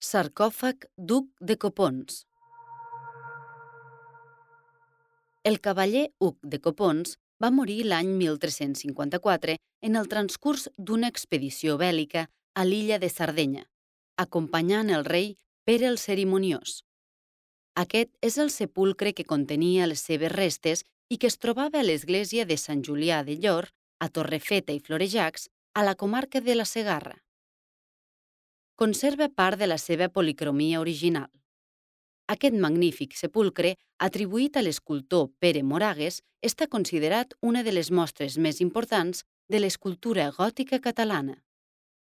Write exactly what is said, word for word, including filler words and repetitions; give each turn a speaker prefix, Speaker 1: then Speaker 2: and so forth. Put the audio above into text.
Speaker 1: Sarcòfag d'Hug de Copons. El cavaller Hug de Copons va morir l'any mil tres-cents cinquanta-quatre en el transcurs d'una expedició bèl·lica a l'illa de Sardenya, acompanyant el rei Pere el Cerimoniós. Aquest és el sepulcre que contenia les seves restes i que es trobava a l'església de Sant Julià de Llor, a Torrefeta i Florejacs, a la comarca de la Segarra. Conserva part de la seva policromia original. Aquest magnífic sepulcre, atribuït a l'escultor Pere Moragues, està considerat una de les mostres més importants de l'escultura gòtica catalana.